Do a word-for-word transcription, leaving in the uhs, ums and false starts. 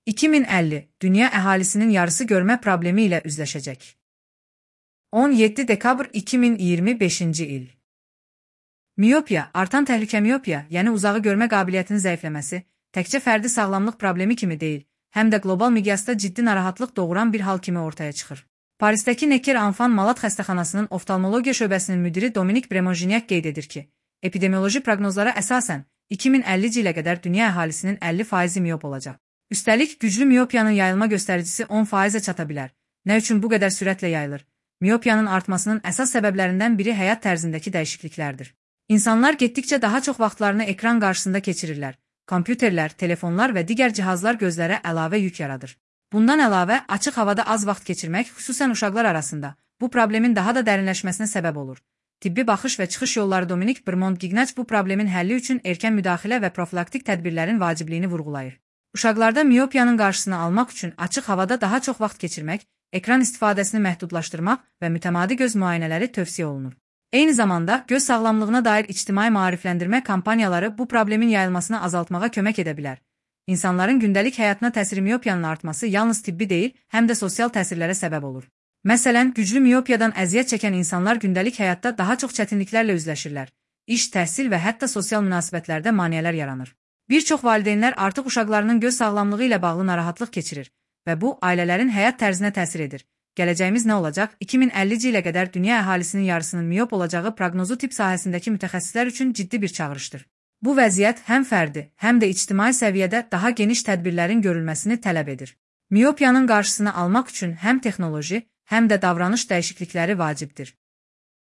iki min əlli dünya əhalisinin yarısı görmə problemi ilə üzləşəcək. on yeddi dekabr iki min iyirmi beşinci il. Miopiya, artan təhlükə miopiya, yəni uzağı görmə qabiliyyətinin zəifləməsi, təkcə fərdi sağlamlıq problemi kimi deyil, həm də qlobal miqyasda ciddi narahatlıq doğuran bir hal kimi ortaya çıxır. Parisdəki Necker-Enfant Malad xəstəxanasının oftalmologiya şöbəsinin müdiri Dominik Bremonjinyak qeyd edir ki, epidemioloji proqnozlara əsasən iki min əllinci ilə qədər dünya əhalisinin əlli faizi miop olacaq. Üstəlik, güclü miopiyanın yayılma göstəricisi on faizə çata bilər. Nə üçün bu qədər sürətlə yayılır? Miopiyanın artmasının əsas səbəblərindən biri həyat tərzindəki dəyişikliklərdir. İnsanlar getdikcə daha çox vaxtlarını ekran qarşısında keçirirlər. Kompüterlər, telefonlar və digər cihazlar gözlərə əlavə yük yaradır. Bundan əlavə, açıq havada az vaxt keçirmək, xüsusən uşaqlar arasında, bu problemin daha da dərinləşməsinə səbəb olur. Tibbi baxış və çıxış yolları Dominik Bremont-Gignac bu problemin həlli üçün erkən müdaxilə və profilaktik tədbirlərin vacibliyini vurğulayır. Uşaqlarda miopiyanın qarşısını almaq üçün açıq havada daha çox vaxt keçirmək, ekran istifadəsini məhdudlaşdırmaq və mütəmadi göz müayinələri tövsiyə olunur. Eyni zamanda, göz sağlamlığına dair ictimai maarifləndirmə kampaniyaları bu problemin yayılmasını azaltmağa kömək edə bilər. İnsanların gündəlik həyatına təsiri miopiyanın artması yalnız tibbi deyil, həm də sosial təsirlərə səbəb olur. Məsələn, güclü miopiyadan əziyyət çəkən insanlar gündəlik həyatda daha çox çətinliklərlə üzləşirlər. İş, təhsil və hətta sosial münasibətlərdə maneələr yaranır. Bir çox valideynlər artıq uşaqlarının göz sağlamlığı ilə bağlı narahatlıq keçirir və bu, ailələrin həyat tərzinə təsir edir. Gələcəyimiz nə olacaq? iki min əllinci ilə qədər dünya əhalisinin yarısının miop olacağı proqnozu tibb sahəsindəki mütəxəssislər üçün ciddi bir çağırışdır. Bu vəziyyət həm fərdi, həm də ictimai səviyyədə daha geniş tədbirlərin görülməsini tələb edir. Miopiyanın qarşısını almaq üçün həm texnoloji, həm də davranış dəyişiklikləri vacibdir.